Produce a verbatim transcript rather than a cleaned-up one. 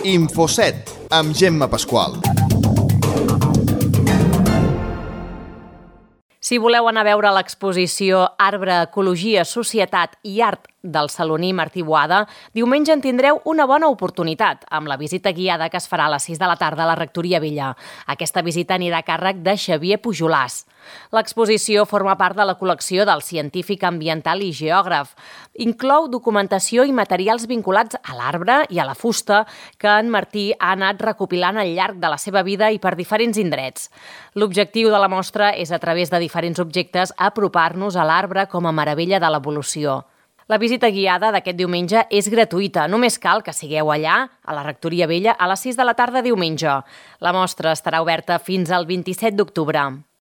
Infoset, amb Gemma Pasqual. Si voleu anar a veure l'exposició Arbre, Ecologia, Societat i Art del saloní Martí Boada, diumenge en tindreu una bona oportunitat amb la visita guiada que es farà a les sis de la tarda a la Rectoria Vella. Aquesta visita anirà a càrrec de Xavier Pujolàs. L'exposició forma part de la col·lecció del científic ambiental i geògraf. Inclou documentació i materials vinculats a l'arbre i a la fusta que en Martí ha anat recopilant al llarg de la seva vida i per diferents indrets. L'objectiu de la mostra és, a través de diferents objectes, apropar-nos a l'arbre com a meravella de l'evolució. La visita guiada d'aquest diumenge és gratuïta. Només cal que sigueu allà, a la Rectoria Vella, a les sis de la tarda diumenge. La mostra estarà oberta fins al vint-i-set d'octubre.